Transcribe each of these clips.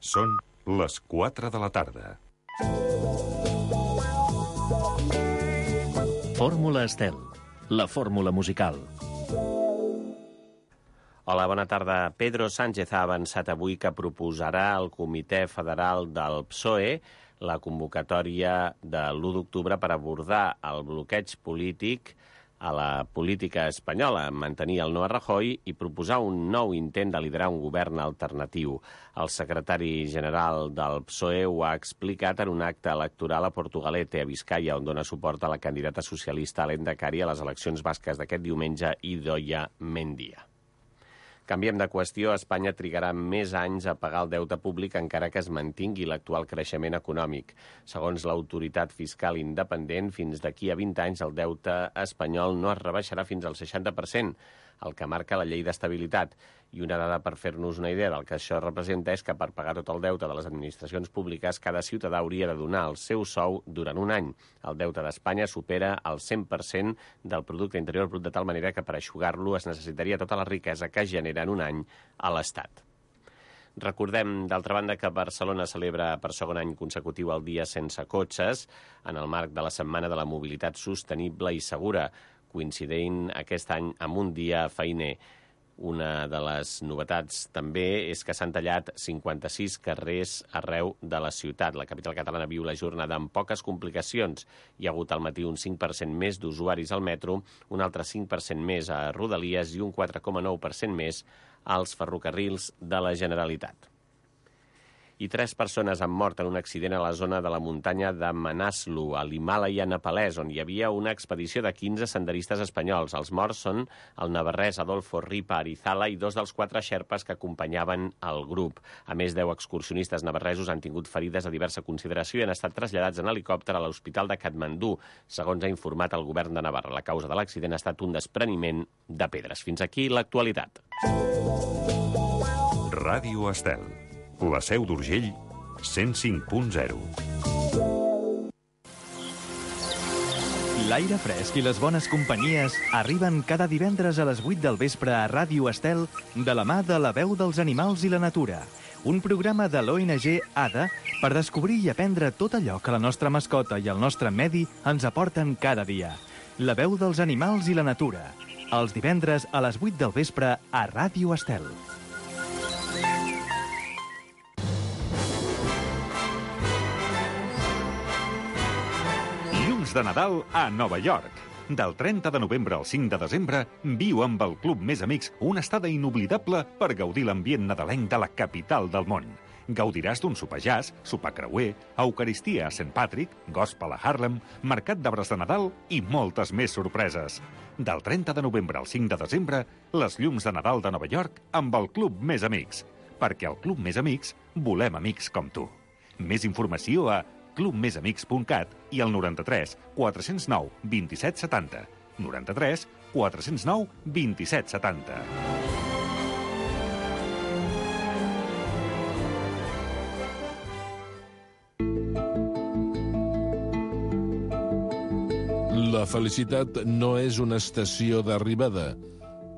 Són les 4 de la tarda. Fórmula Estel, la fórmula musical. Hola, bona tarda. Pedro Sánchez ha avançat avui que proposarà al Comitè Federal del PSOE la convocatòria de l'1 d'octubre per abordar el bloqueig polític a la política espanyola, mantenir el no a Rajoy i proposar un nou intent de liderar un govern alternatiu. El secretari general del PSOE ho ha explicat en un acte electoral a Portugalete, a Biscaia, on dona suport a la candidata socialista Lehendakari a les eleccions basques d'aquest diumenge, Idoia Mendia. Canviem de qüestió. Espanya trigarà més anys a pagar el deute públic encara que es mantingui l'actual creixement econòmic. Segons l'autoritat fiscal independent, fins d'aquí a 20 anys el deute espanyol no es rebaixarà fins al 60%, el que marca la llei d'estabilitat. I una dada per fer-nos una idea del que això representa és que per pagar tot el deute de les administracions públiques cada ciutadà hauria de donar el seu sou durant un any. El deute d'Espanya supera el 100% del producte interior brut, de tal manera que per eixugar-lo es necessitaria tota la riquesa que genera en un any a l'Estat. Recordem, d'altra banda, que Barcelona celebra per segon any consecutiu el Dia Sense Cotxes en el marc de la Setmana de la Mobilitat Sostenible i Segura, coincidint aquest any amb un dia feiner. Una de les novetats també és que s'han tallat 56 carrers arreu de la ciutat. La capital catalana viu la jornada amb poques complicacions. Hi ha hagut al matí un 5% més d'usuaris al metro, un altre 5% més a Rodalies i un 4,9% més als ferrocarrils de la Generalitat. I 3 persones han mort en un accident a la zona de la muntanya de Manaslu, a l'Himàlaia nepalès, on hi havia una expedició de 15 senderistes espanyols. Els morts són el navarrès Adolfo Ripa Arizala i 2 dels 4 xerpes que acompanyaven el grup. A més, 10 excursionistes navarresos han tingut ferides de diversa consideració i han estat traslladats en helicòpter a l'Hospital de Katmandú, segons ha informat el govern de Navarra. La causa de l'accident ha estat un despreniment de pedres. Fins aquí l'actualitat. Ràdio Estel. La Seu d'Urgell, 105.0. L'aire fresc i les bones companyies arriben cada divendres a les 8 del vespre a Ràdio Estel de la mà de La Veu dels Animals i la Natura, un programa de l'ONG ADA per descobrir i aprendre tot allò que la nostra mascota i el nostre medi ens aporten cada dia. La Veu dels Animals i la Natura, els divendres a les 8 del vespre a Ràdio Estel. De Nadal a Nova York. Del 30 de novembre al 5 de desembre, viu amb el Club Més Amics una estada inoblidable per gaudir l'ambient nadalenc de la capital del món. Gaudiràs d'un sopar jazz, sopar creuer, eucaristia a St. Patrick, gospel a Harlem, mercat d'arbres de Nadal i moltes més sorpreses. Del 30 de novembre al 5 de desembre, les llums de Nadal de Nova York amb el Club Més Amics. Perquè al Club Més Amics volem amics com tu. Més informació a clubmesamics.cat i al 93 409 27 70. 93 409 27 70. La felicitat no és una estació d'arribada,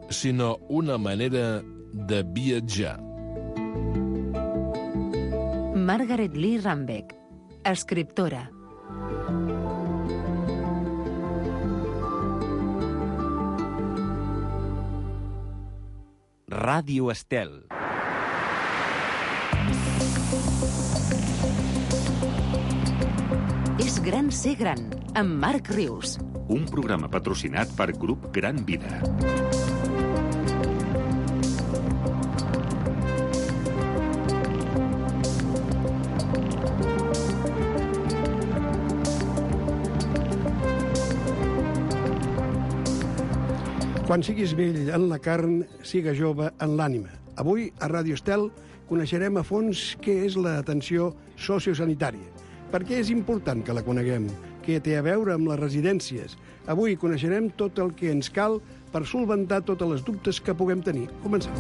sinó una manera de viatjar. Margaret Lee Rambeck, escriptora. Ràdio Estel. És gran ser gran, amb Marc Rius. Un programa patrocinat per Grup Gran Vida. Quan siguis vell en la carn, siga jove en l'ànima. Avui, a Ràdio Estel, coneixerem a fons què és l'atenció sociosanitària. Per què és important que la coneguem? Què té a veure amb les residències? Avui coneixerem tot el que ens cal per solventar totes les dubtes que puguem tenir. Comencem.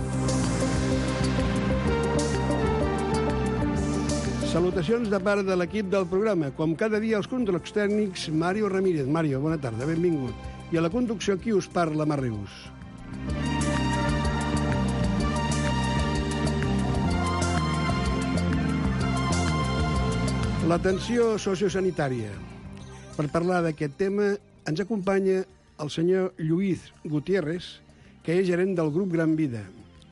Salutacions de part de l'equip del programa. Com cada dia, els controls tècnics, Mario Ramírez. Mario, bona tarda, benvingut. I a la conducció, qui us parla, Marc Rius? L'atenció sociosanitària. Per parlar d'aquest tema ens acompanya el senyor Lluís Gutiérrez, que és gerent del grup Gran Vida,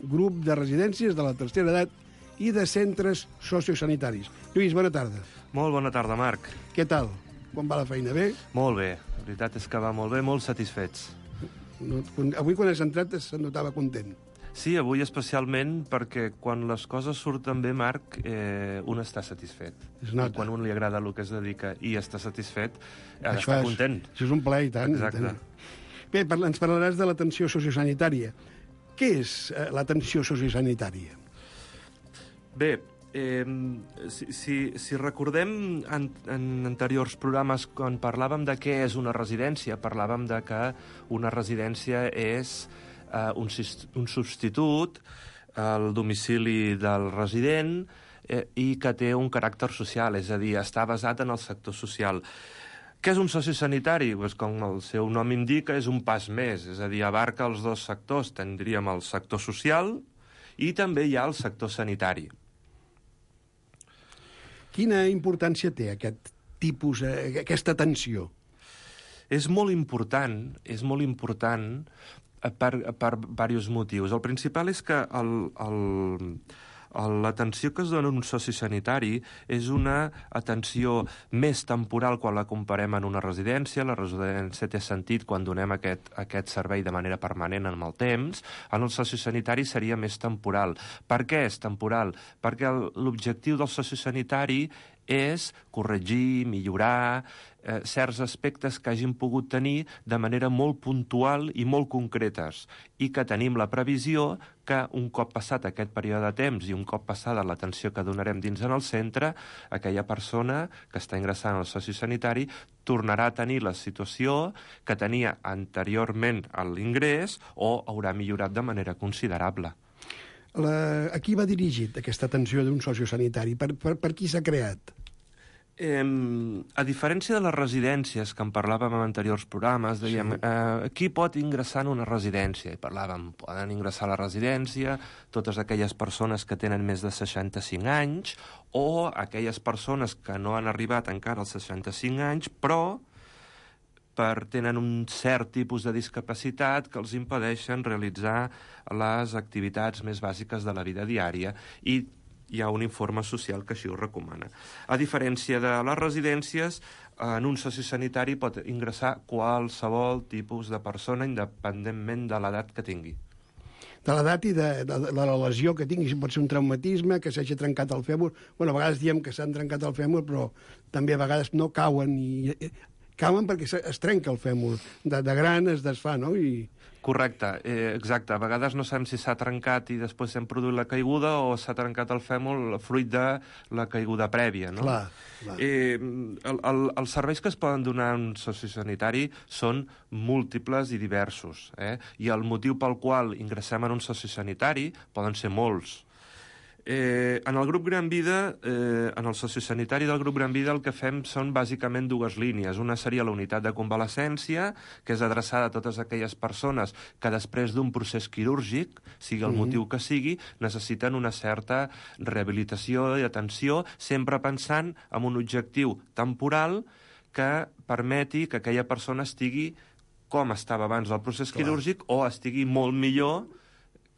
grup de residències de la tercera edat i de centres sociosanitaris. Lluís, bona tarda. Molt bona tarda, Marc. Què tal? Com va la feina? Bé? Molt bé. La veritat és que va molt bé, molt satisfets. Avui, quan has entrat, se'n notava content. Sí, avui especialment perquè quan les coses surten bé, Marc, un està satisfet. Es nota. I quan un li agrada el que es dedica i està satisfet, ha d'estar content. Això és un plaer, i tant. Exacte. Bé, ens parlaràs de l'atenció sociosanitària. Què és l'atenció sociosanitària? Bé, si recordem en anteriors programes quan parlàvem de què és una residència, parlàvem de que una residència és un substitut al domicili del resident i que té un caràcter social, és a dir, està basat en el sector social. Què és un sociosanitari? Pues, com el seu nom indica, és un pas més, és a dir, abarca els dos sectors. Tindríem el sector social i també hi ha el sector sanitari. Quina importància té aquest tipus, aquesta atenció? És molt important per diversos motius. El principal és que l'atenció que es dona en un sociosanitari és una atenció més temporal quan la comparem en una residència. La residència té sentit quan donem aquest servei de manera permanent en el temps. En el sociosanitari seria més temporal. Per què és temporal? Perquè l'objectiu del sociosanitari és corregir, millorar certs aspectes que hagin pogut tenir de manera molt puntual i molt concretes i que tenim la previsió que un cop passat aquest període de temps i un cop passada l'atenció que donarem dins en el centre, aquella persona que està ingressant al sociosanitari tornarà a tenir la situació que tenia anteriorment a l'ingrés o haurà millorat de manera considerable. A qui va dirigit aquesta atenció d'un sociosanitari? Per qui s'ha creat? A diferència de les residències que en parlàvem en anteriors programes, dèiem, qui pot ingressar en una residència? I parlàvem, poden ingressar a la residència totes aquelles persones que tenen més de 65 anys o aquelles persones que no han arribat encara als 65 anys, però tenen un cert tipus de discapacitat que els impedeixen realitzar les activitats més bàsiques de la vida diària i hi ha un informe social que així ho recomana. A diferència de les residències, en un sociosanitari pot ingressar qualsevol tipus de persona independentment de l'edat que tingui. De l'edat i de la lesió que tingui. Pot ser un traumatisme, que s'hagi trencat el fèmur. Bueno, a vegades diem que s'han trencat el fèmur, però també a vegades no cauen cauen perquè es trenca el fèmur. De gran es desfà, no? Correcte, exacte. A vegades no sabem si s'ha trencat i després s'ha produït la caiguda o s'ha trencat el fèmur fruit de la caiguda prèvia, no? Clar. Els serveis que es poden donar en un sociosanitari són múltiples i diversos, i el motiu pel qual ingressem en un sociosanitari poden ser molts. En el grup Gran Vida, en el sociosanitari del grup Gran Vida, el que fem són bàsicament dues línies. Una seria la unitat de convalescència, que és adreçada a totes aquelles persones que després d'un procés quirúrgic, sigui el motiu que sigui, necessiten una certa rehabilitació i atenció, sempre pensant en un objectiu temporal que permeti que aquella persona estigui com estava abans del procés quirúrgic o estigui molt millor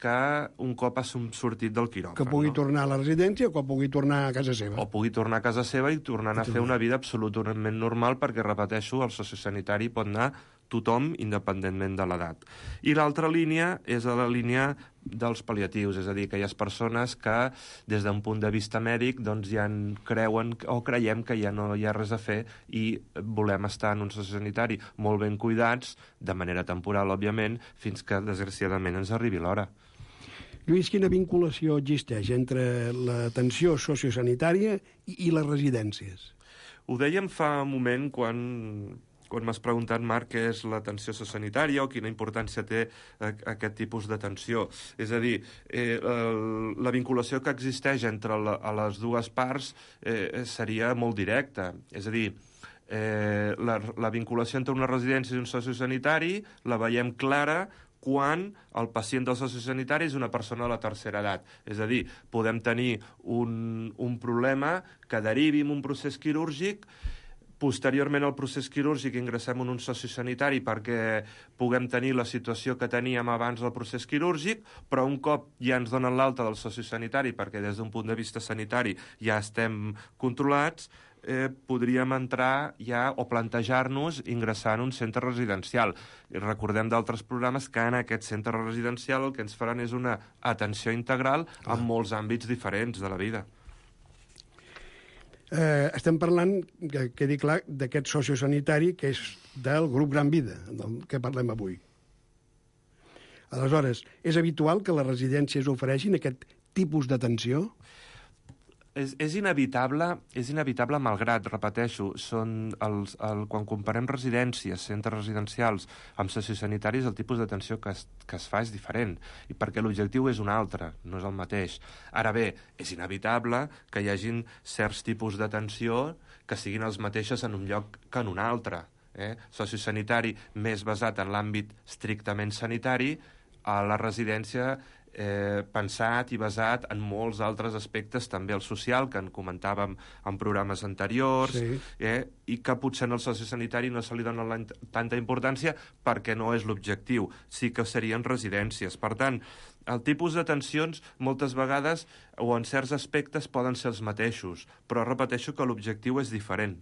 que un cop ha sortit del quiròfan. Que pugui tornar a la residència o que pugui tornar a casa seva. O pugui tornar a casa seva i tornar a fer una vida absolutament normal, perquè, repeteixo, el sociosanitari pot anar tothom, independentment de l'edat. I l'altra línia és la línia dels pal·liatius, és a dir, aquelles persones que, des d'un punt de vista mèdic, doncs ja creuen o creiem que ja no hi ha res a fer i volem estar en un sociosanitari molt ben cuidats, de manera temporal, òbviament, fins que, desgraciadament, ens arribi l'hora. Lluís, quina vinculació existeix entre l'atenció sociosanitària i les residències? Ho dèiem fa un moment quan m'has preguntat, Marc, què és l'atenció sociosanitària o quina importància té aquest tipus d'atenció. És a dir, la vinculació que existeix entre les dues parts seria molt directa. És a dir, la vinculació entre una residència i un sociosanitari la veiem clara quan el pacient del sociosanitari és una persona de la tercera edat. És a dir, podem tenir un problema que derivi en un procés quirúrgic, posteriorment al procés quirúrgic ingressem en un sociosanitari perquè puguem tenir la situació que teníem abans del procés quirúrgic, però un cop ja ens donen l'alta del sociosanitari, perquè des d'un punt de vista sanitari ja estem controlats, podríem entrar ja o plantejar-nos ingressar en un centre residencial. I recordem d'altres programes que en aquest centre residencial el que ens faran és una atenció integral en molts àmbits diferents de la vida. Estem parlant, que quedi clar, d'aquest sociosanitari que és del grup Gran Vida, del que parlem avui. Aleshores, és habitual que les residències ofereixin aquest tipus d'atenció? És inevitable malgrat, repeteixo, quan comparem residències, centres residencials amb sociosanitaris, el tipus d'atenció que es fa és diferent, i perquè l'objectiu és un altre, no és el mateix. Ara bé, és inevitable que hi hagin certs tipus d'atenció que siguin els mateixos en un lloc que en un altre. Sociosanitari més basat en l'àmbit estrictament sanitari, a la residència pensat i basat en molts altres aspectes, també el social, que en comentàvem en programes anteriors, i que potser en el sociosanitari no se li dona tanta importància perquè no és l'objectiu, sí que serien residències. Per tant, el tipus d'atencions moltes vegades o en certs aspectes poden ser els mateixos, però repeteixo que l'objectiu és diferent.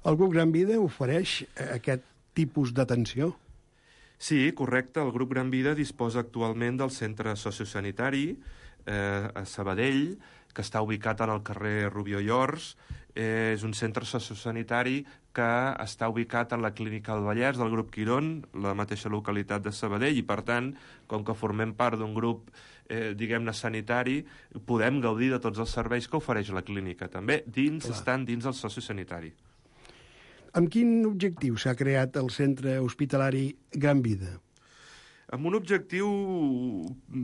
El grup Gran Vida ofereix aquest tipus d'atenció? Sí, correcte. El grup Gran Vida disposa actualment del centre sociosanitari a Sabadell, que està ubicat en el carrer Rubió i Ors. És un centre sociosanitari que està ubicat en la Clínica del Vallès del grup Quirón, la mateixa localitat de Sabadell, i per tant, com que formem part d'un grup diguem-ne sanitari, podem gaudir de tots els serveis que ofereix la clínica. També estan dins del sociosanitari. Amb quin objectiu s'ha creat el centre hospitalari Gran Vida? Amb un objectiu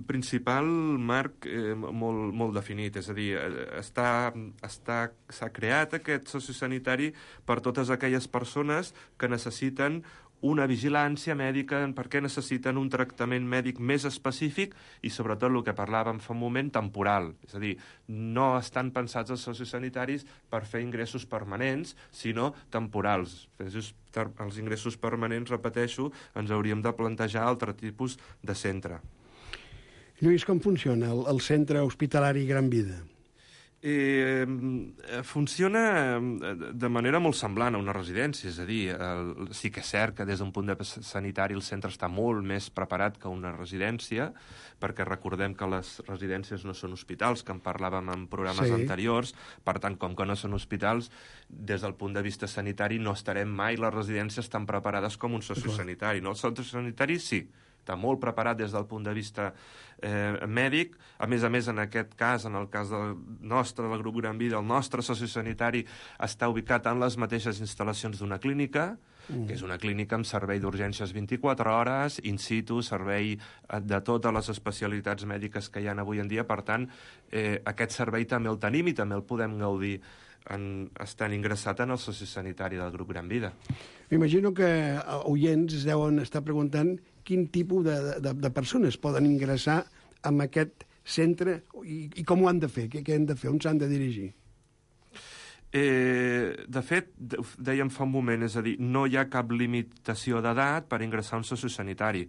principal, Marc, molt definit. És a dir, s'ha creat aquest sociosanitari per totes aquelles persones que necessiten una vigilància mèdica perquè necessiten un tractament mèdic més específic i, sobretot, el que parlàvem fa un moment, temporal. És a dir, no estan pensats els sociosanitaris per fer ingressos permanents, sinó temporals. Els ingressos permanents, repeteixo, ens hauríem de plantejar altre tipus de centre. Lluís, com funciona el centre hospitalari Gran Vida? Funciona de manera molt semblant a una residència, és a dir, sí que és cert que des d'un punt de vista sanitari el centre està molt més preparat que una residència, perquè recordem que les residències no són hospitals, que en parlàvem en programes anteriors, per tant, com que no són hospitals, des del punt de vista sanitari no estarem mai les residències tan preparades com un sociosanitari. No? El sociosanitari sí, està molt preparat des del punt de vista mèdic. A més, en aquest cas, en el cas del grup Gran Vida, el nostre sociosanitari està ubicat en les mateixes instal·lacions d'una clínica, que és una clínica amb servei d'urgències 24 hores, in situ, servei de totes les especialitats mèdiques que hi ha avui en dia. Per tant, aquest servei també el tenim i també el podem gaudir estant ingressat en el sociosanitari del grup Gran Vida. M'imagino que oients es deuen estar preguntant quin tipus de persones poden ingressar en aquest centre i com ho han de fer, què han de fer, on s'han de dirigir. De fet, dèiem fa un moment, és a dir, no hi ha cap limitació d'edat per ingressar a un sociosanitari.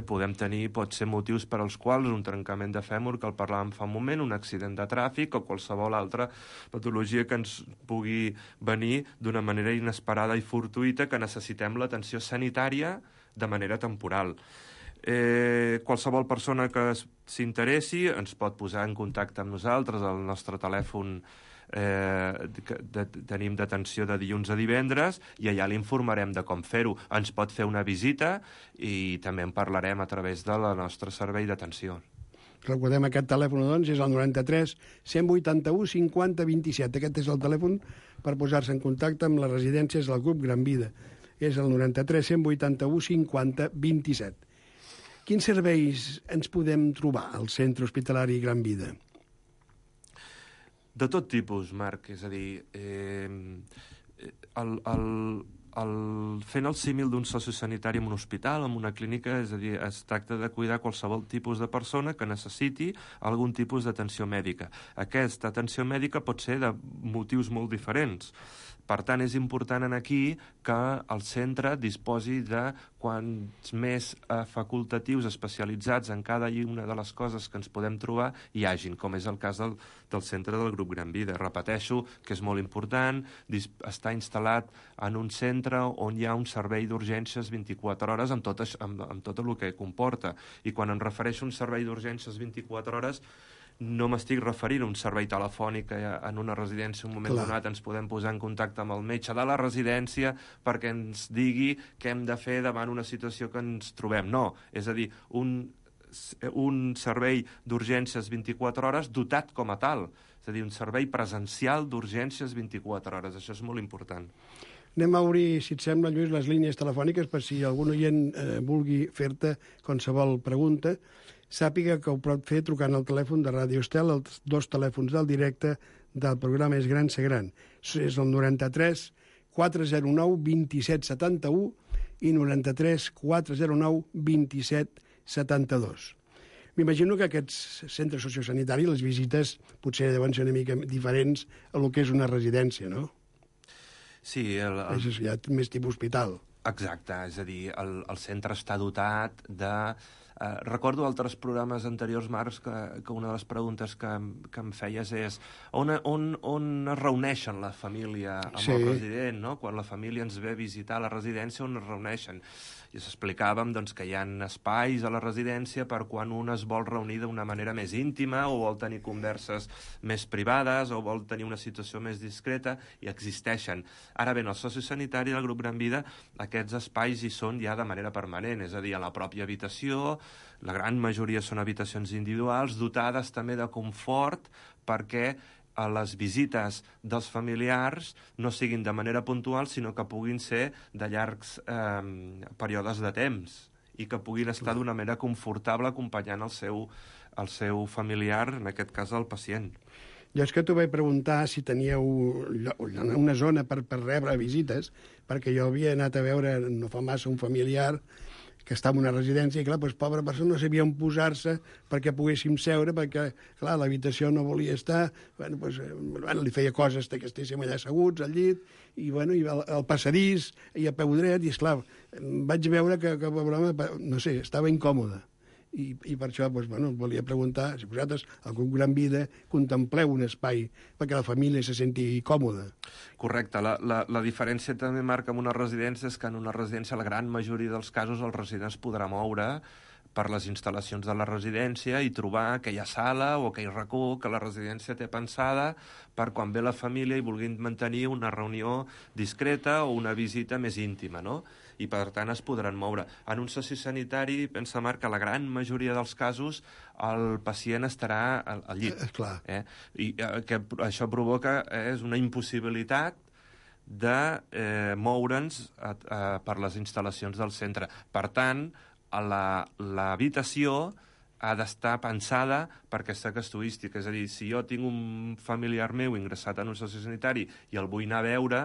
Pot ser motius per als quals un trencament de fèmur, que el parlàvem fa un moment, un accident de tràfic o qualsevol altra patologia que ens pugui venir d'una manera inesperada i fortuïta que necessitem l'atenció sanitària de manera temporal. Qualsevol persona que s'interessi ens pot posar en contacte amb nosaltres. El nostre telèfon tenim d'atenció de dilluns a divendres i allà l'informarem de com fer-ho. Ens pot fer una visita i també en parlarem a través del nostre servei d'atenció. Recordem aquest telèfon, doncs, és el 93 181 50 27. Aquest és el telèfon per posar-se en contacte amb les residències del grup Gran Vida. És el 93 181 50 27. Quins serveis ens podem trobar al centre hospitalari Gran Vida? De tot tipus, Marc. És a dir, fent el símil d'un sociosanitari en un hospital, en una clínica, és a dir, es tracta de cuidar qualsevol tipus de persona que necessiti algun tipus d'atenció mèdica. Aquesta atenció mèdica pot ser de motius molt diferents. Per tant, és important aquí que el centre disposi de quants més facultatius especialitzats en cada una de les coses que ens podem trobar hi hagin, com és el cas del centre del grup Gran Vida. Repeteixo que és molt important estar instal·lat en un centre on hi ha un servei d'urgències 24 hores amb tot el que comporta. I quan em refereixo a un servei d'urgències 24 hores, no m'estic referint a un servei telefònic que en una residència en un moment donat ens podem posar en contacte amb el metge de la residència perquè ens digui què hem de fer davant una situació que ens trobem. No, és a dir, un servei d'urgències 24 hores dotat com a tal. És a dir, un servei presencial d'urgències 24 hores. Això és molt important. Anem a obrir, si et sembla, Lluís, les línies telefòniques per si algun oient vulgui fer-te qualsevol pregunta. Sàpiga que ho pot fer trucant al telèfon de Ràdio Estel, els 2 telèfons del directe del programa És Gran Ser Gran. És el 93 409 2771 i 93 409 2772. M'imagino que aquests centres sociosanitaris, les visites, potser deuen ser una mica diferents a lo que és una residència, no? Sí. És ja més tipus hospital. Exacte, és a dir, el centre està dotat de... recordo altres programes anteriors, Marc, que una de les preguntes que em feies és on es reuneixen la família amb el resident, no? Quan la família ens ve a visitar a la residència, on es reuneixen? I explicàvem doncs, que hi ha espais a la residència per quan un es vol reunir d'una manera més íntima o vol tenir converses més privades o vol tenir una situació més discreta, i existeixen. Ara bé, en el sociosanitari del grup Gran Vida aquests espais hi són ja de manera permanent, és a dir, a la pròpia habitació. La gran majoria són habitacions individuals, dotades també de confort perquè a les visites dels familiars no siguin de manera puntual, sinó que puguin ser de llargs períodes de temps i que puguin estar d'una manera confortable acompanyant el seu familiar, en aquest cas el pacient. Jo és que t'ho vaig preguntar si teníeu una zona per rebre visites, perquè jo havia anat a veure no fa massa un familiar que estava en una residència i, clar, doncs, pobra persona no sabia on posar-se perquè poguéssim seure, perquè, clar, l'habitació no volia estar, li feia coses que estéssim allà asseguts al llit, i al passadís, i a peu dret, i, esclar, vaig veure que no sé, estava incòmode. I per això volia preguntar si vosaltres, al grup Gran Vida, contempleu un espai perquè la família se senti còmoda. Correcte. La diferència també, Marc, amb una residència és que en una residència, la gran majoria dels casos, el resident es podrà moure per les instal·lacions de la residència i trobar aquella sala o aquell racó que la residència té pensada per quan ve la família i vulguin mantenir una reunió discreta o una visita més íntima, no? I per tant es podran moure. En un sociosanitari, pensa, Marc, que la gran majoria dels casos el pacient estarà al llit. Clar. I que això provoca una impossibilitat de moure'ns per les instal·lacions del centre. Per tant, l'habitació ha d'estar pensada per aquesta casuística. És a dir, si jo tinc un familiar meu ingressat en un sociosanitari i el vull anar a veure,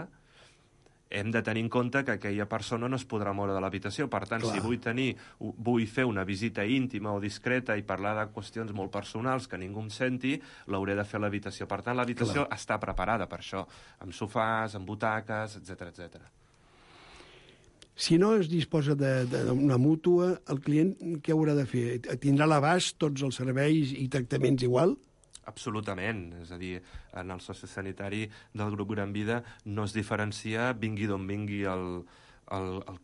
hem de tenir en compte que aquella persona no es podrà moure de l'habitació. Per tant, si vull fer una visita íntima o discreta i parlar de qüestions molt personals que ningú em senti, l'hauré de fer a l'habitació. Per tant, l'habitació està preparada per això, amb sofàs, amb butaques, etc. Si no es disposa d'una mútua, el client què haurà de fer? Tindrà a l'abast tots els serveis i tractaments igual? Absolutament. És a dir, en el sociosanitari del grup Gran Vida no es diferencia vingui d'on vingui el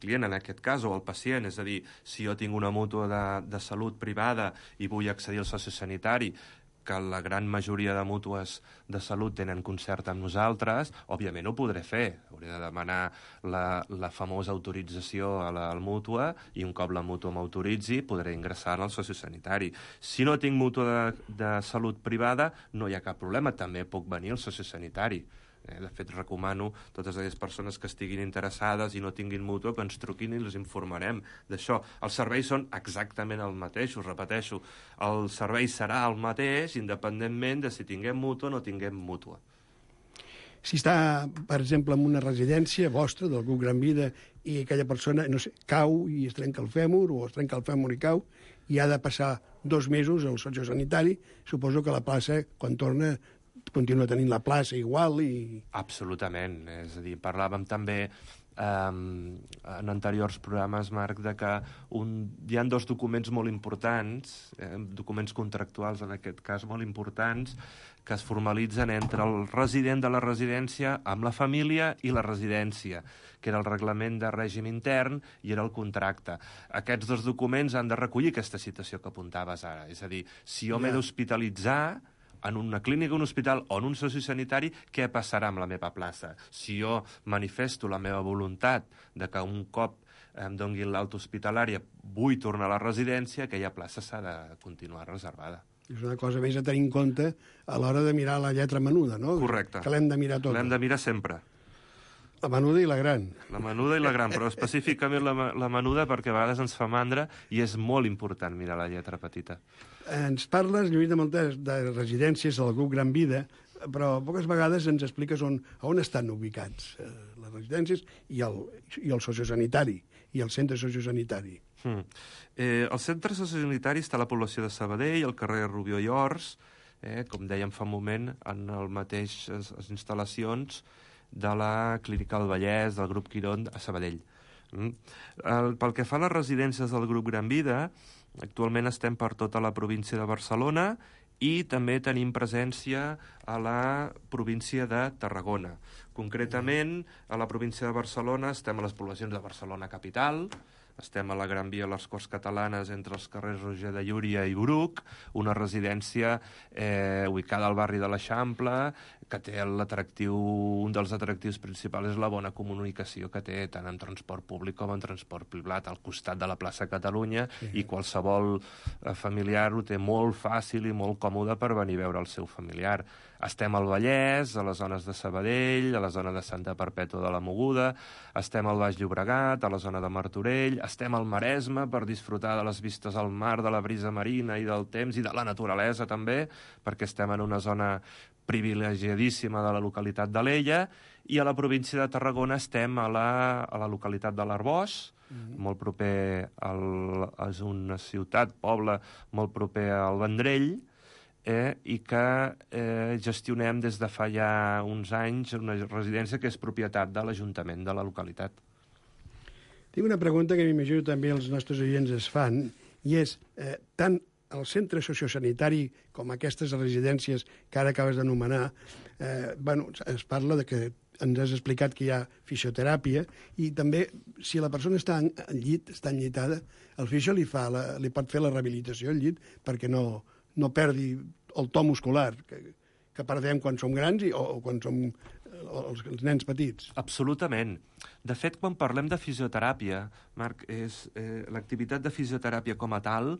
client, en aquest cas, o el pacient. És a dir, si jo tinc una mútua de salut privada i vull accedir al sociosanitari, que la gran majoria de mútues de salut tenen concert amb nosaltres, òbviament ho podré fer. Hauré de demanar la famosa autorització a la mútua i un cop la mútua m'autoritzi podré ingressar en el sociosanitari. Si no tinc mútua de salut privada, no hi ha cap problema, també puc venir al sociosanitari. De fet, recomano a totes aquelles persones que estiguin interessades i no tinguin mútua que ens truquin i els informarem d'això. Els serveis són exactament el mateix, us repeteixo. El servei serà el mateix independentment de si tinguem mútua o no tinguem mútua. Si està, per exemple, en una residència vostra, del grup Gran Vida, i aquella persona, no sé, cau i es trenca el fèmur, o es trenca el fèmur i cau, i ha de passar 2 mesos al sociosanitari, suposo que la plaça, quan torna, continua tenint la plaça igual i... Absolutament. És a dir, parlàvem també en anteriors programes, Marc, de que hi ha 2 documents molt importants, documents contractuals en aquest cas molt importants, que es formalitzen entre el resident de la residència amb la família i la residència, que era el reglament de règim intern i era el contracte. Aquests 2 documents han de recollir aquesta situació que apuntaves ara. És a dir, si jo m'he d'hospitalitzar en una clínica, un hospital o en un sociosanitari, què passarà amb la meva plaça? Si jo manifesto la meva voluntat de que un cop em doni l'alta hospitalària vull tornar a la residència, aquella plaça s'ha de continuar reservada. És una cosa més a tenir en compte a l'hora de mirar la lletra menuda, no? Correcte. Que l'hem de mirar tota. L'hem de mirar sempre. La menuda i la gran. La menuda i la gran, però específicament la menuda perquè a vegades ens fa mandra i és molt important mirar la lletra petita. Ens parles, Lluís de Montes, de residències del grup Gran Vida, però poques vegades ens expliques on estan ubicats les residències i el sociosanitari, i el centre sociosanitari. El centre sociosanitari està a la població de Sabadell, al carrer Rubió i Ors, com dèiem fa un moment, en el mateix instal·lacions de la Clínica del Vallès, del grup Quirón, a Sabadell. Pel que fa a les residències del grup Gran Vida, actualment estem per tota la província de Barcelona i també tenim presència a la província de Tarragona. Concretament, a la província de Barcelona estem a les poblacions de Barcelona capital, estem a la Gran Via a les Corts Catalanes entre els carrers Roger de Llúria i Bruc, una residència ubicada al barri de l'Eixample, que té l'atractiu, un dels atractius principals és la bona comunicació que té tant en transport públic com en transport privat, al costat de la plaça Catalunya, i qualsevol familiar ho té molt fàcil i molt còmode per venir a veure el seu familiar. Estem al Vallès, a les zones de Sabadell, a la zona de Santa Perpètua de la Mogoda, estem al Baix Llobregat, a la zona de Martorell, estem al Maresme per disfrutar de les vistes al mar, de la brisa marina i del temps i de la naturalesa també, perquè estem en una zona privilegiadíssima de la localitat d'Alella, i a la província de Tarragona estem a la localitat de l'Arboç, molt proper és una ciutat, poble, molt proper al Vendrell, i que gestionem des de fa ja uns anys una residència que és propietat de l'Ajuntament de la localitat. Tinc una pregunta que m'imagino també els nostres oients es fan, i és, tant el centre sociosanitari com aquestes residències que ara acabes d'anomenar, es parla de que ens has explicat que hi ha fisioteràpia, i també, si la persona està en llit, està enllitada, el fisio li pot fer la rehabilitació al llit perquè no perdi el to muscular que perdem quan som grans o quan som els nens petits. Absolutament. De fet, quan parlem de fisioteràpia, Marc, l'activitat de fisioteràpia com a tal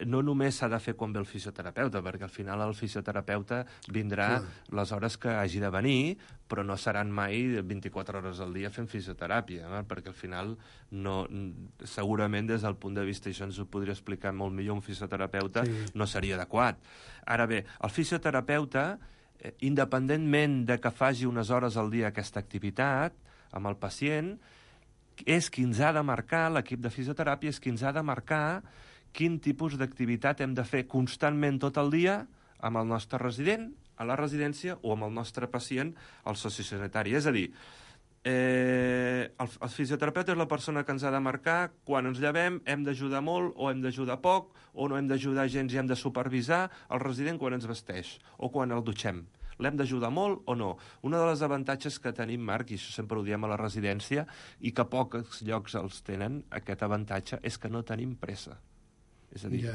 no només s'ha de fer quan ve el fisioterapeuta, perquè al final el fisioterapeuta vindrà les hores que hagi de venir, però no seran mai 24 hores al dia fent fisioteràpia, perquè al final segurament des del punt de vista, això ens ho podria explicar molt millor un fisioterapeuta, no seria adequat. Ara bé, el fisioterapeuta, independentment de que faci unes hores al dia aquesta activitat amb el pacient, és qui ens ha de marcar, l'equip de fisioteràpia és qui ens ha de marcar quin tipus d'activitat hem de fer constantment tot el dia amb el nostre resident, a la residència, o amb el nostre pacient al sociosanitari. És a dir, el fisioterapeuta és la persona que ens ha de marcar quan ens llevem, hem d'ajudar molt o hem d'ajudar poc, o no hem d'ajudar gens i hem de supervisar el resident quan ens vesteix o quan el dutxem. L'hem d'ajudar molt o no? Un dels avantatges que tenim, Marc, i això sempre ho diem a la residència, i que pocs llocs els tenen, aquest avantatge, és que no tenim pressa. És a dir,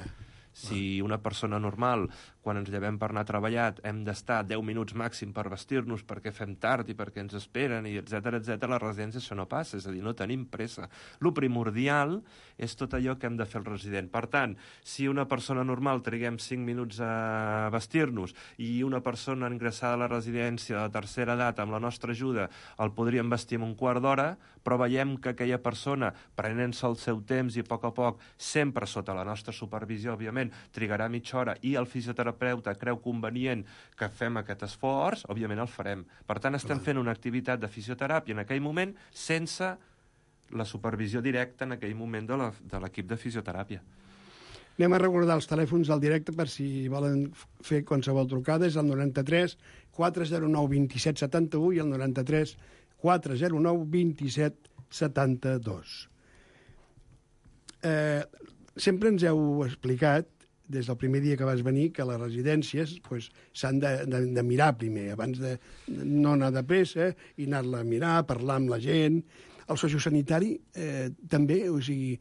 si una persona normal, quan ens llevem per anar a treballar, hem d'estar 10 minuts màxim per vestir-nos perquè fem tard i perquè ens esperen, i etcètera, a la residència això no passa, és a dir, no tenim pressa. Lo primordial és tot allò que hem de fer el resident. Per tant, si una persona normal triguem 5 minuts a vestir-nos i una persona ingressada a la residència de tercera edat amb la nostra ajuda el podríem vestir en un quart d'hora, però veiem que aquella persona, prenent-se el seu temps i a poc, sempre sota la nostra supervisió, òbviament, moment trigarà mitja hora i el fisioterapeuta creu convenient que fem aquest esforç, òbviament el farem. Per tant, estem fent una activitat de fisioteràpia en aquell moment sense la supervisió directa en aquell moment de l'equip de fisioteràpia. Anem a recordar els telèfons del directe per si volen fer qualsevol trucada. És el 93 409 27 71 i el 93 409 27 72. Sempre ens heu explicat, des del primer dia que vas venir, que les residències s'han de mirar primer, abans de no anar de pressa i anar-la a mirar, parlar amb la gent. El sociosanitari també, o sigui,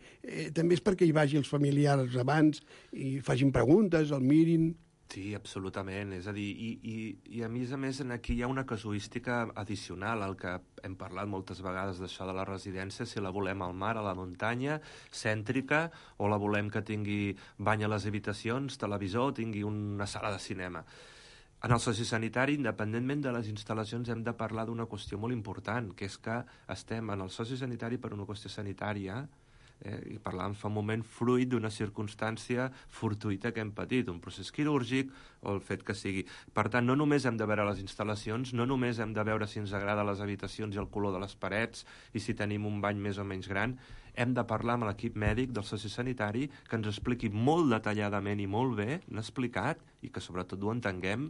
també és perquè hi vagi els familiars abans i facin preguntes, el mirin. Sí, absolutament. És a dir, i a més, aquí hi ha una casuística addicional, el que hem parlat moltes vegades d'això de la residència, si la volem al mar, a la muntanya, cèntrica, o la volem que tingui bany a les habitacions, televisor, tingui una sala de cinema. En el sociosanitari, independentment de les instal·lacions, hem de parlar d'una qüestió molt important, que és que estem en el sociosanitari per una qüestió sanitària, i parlàvem fa un moment, fruit d'una circumstància fortuïta que hem patit, un procés quirúrgic o el fet que sigui. Per tant, no només hem de veure les instal·lacions, no només hem de veure si ens agrada les habitacions i el color de les parets i si tenim un bany més o menys gran, hem de parlar amb l'equip mèdic del sociosanitari que ens expliqui molt detalladament i molt bé, l'ha explicat, i que sobretot ho entenguem,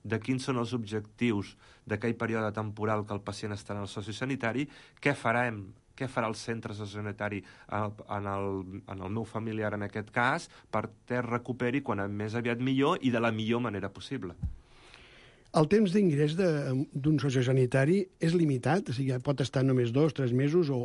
de quins són els objectius d'aquell període temporal que el pacient estarà en el sociosanitari, què farà el centre sociosanitari en el meu familiar en aquest cas perquè es recuperi quan més aviat millor i de la millor manera possible. El temps d'ingrés d'un sociosanitari és limitat? O sigui, pot estar només 2 o 3 mesos o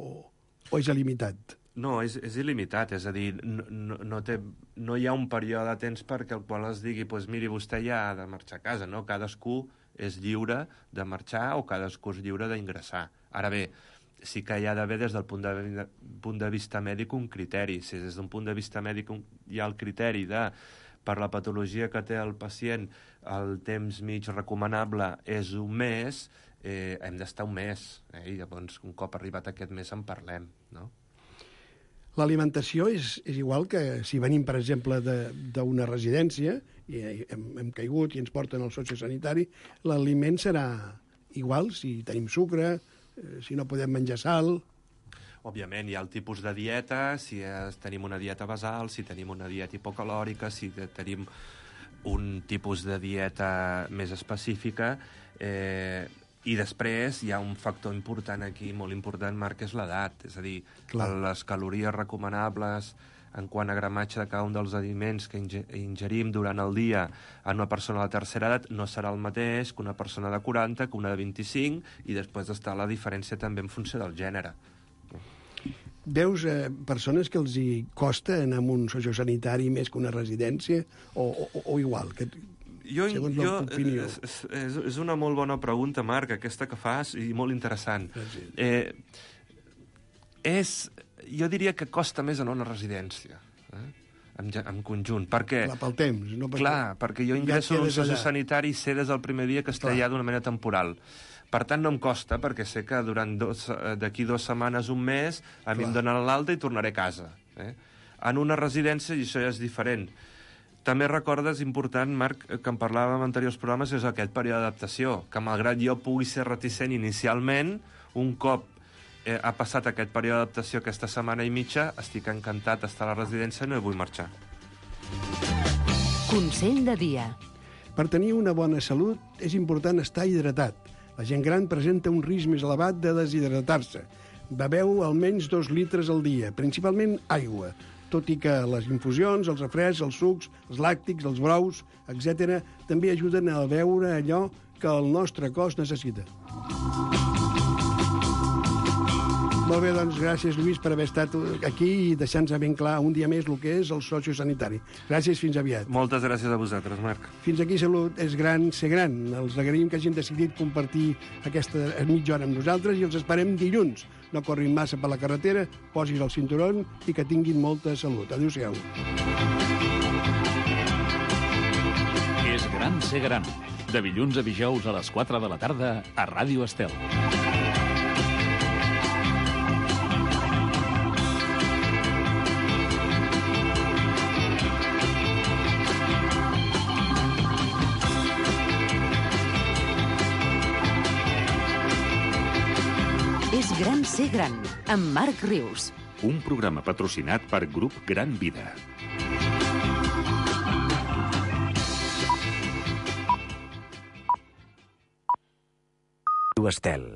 és il·limitat? No, és il·limitat, és a dir, no hi ha un període de temps perquè el qual es digui, doncs miri, vostè ja ha de marxar a casa, no? Cadascú és lliure de marxar o cadascú és lliure d'ingressar. Ara bé, sí que hi ha d'haver des del punt de vista mèdic un criteri. Si des d'un punt de vista mèdic hi ha el criteri de, per la patologia que té el pacient, el temps mig recomanable és un mes, hem d'estar un mes, i llavors un cop arribat aquest mes en parlem, no? L'alimentació és igual que si venim, per exemple, d'una residència i hem caigut i ens porten al sociosanitari, l'aliment serà igual si tenim sucre, si no podem menjar sal. Òbviament, hi ha el tipus de dieta, si tenim una dieta basal, si tenim una dieta hipocalòrica, si tenim un tipus de dieta més específica, i després hi ha un factor important aquí, molt important, Marc, és l'edat. És a dir, les calories recomanables en quant a gramatge de cada un dels aliments que ingerim durant el dia en una persona de la tercera edat no serà el mateix que una persona de 40, que una de 25, i després està la diferència també en funció del gènere. Veus persones que els hi costa anar a un sociosanitari més que una residència o igual? És una molt bona pregunta, Marc, aquesta que fas, i molt interessant. Jo diria que costa més anar a una residència, en conjunt, perquè... Clar, pel temps. No perquè jo ingresso en un sociosanitari i sé des del primer dia que estaré allà d'una manera temporal. Per tant, no em costa, perquè sé que d'aquí 2 setmanes, un mes, a mi em donen l'alta i tornaré a casa. En una residència, i això ja és diferent. També recordes, important, Marc, que en parlàvem en anteriors programes, és aquest període d'adaptació, que malgrat jo pugui ser reticent inicialment, un cop ha passat aquest període d'adaptació, aquesta setmana i mitja, estic encantat d'estar a la residència i no hi vull marxar. Consell de dia. Per tenir una bona salut és important estar hidratat. La gent gran presenta un risc més elevat de deshidratar-se. Beveu almenys 2 litres al dia, principalment aigua, tot i que les infusions, els refrescs, els sucs, els làctics, els brous, etc., també ajuden a beure allò que el nostre cos necessita. Molt bé, doncs, gràcies, Lluís, per haver estat aquí i deixar-nos ben clar un dia més el que és el sociosanitari. Gràcies, fins aviat. Moltes gràcies a vosaltres, Marc. Fins aquí Salut és gran, ser gran. Els agraïm que hagin decidit compartir aquesta mitja hora amb nosaltres i els esperem dilluns. No corrin massa per la carretera, posis el cinturó i que tinguin molta salut. Adéu-siau. És gran ser gran. De dilluns a dijous a les 4 de la tarda a Ràdio Estel. És gran ser gran, amb Marc Rius. Un programa patrocinat per Grup Gran Vida. Estel.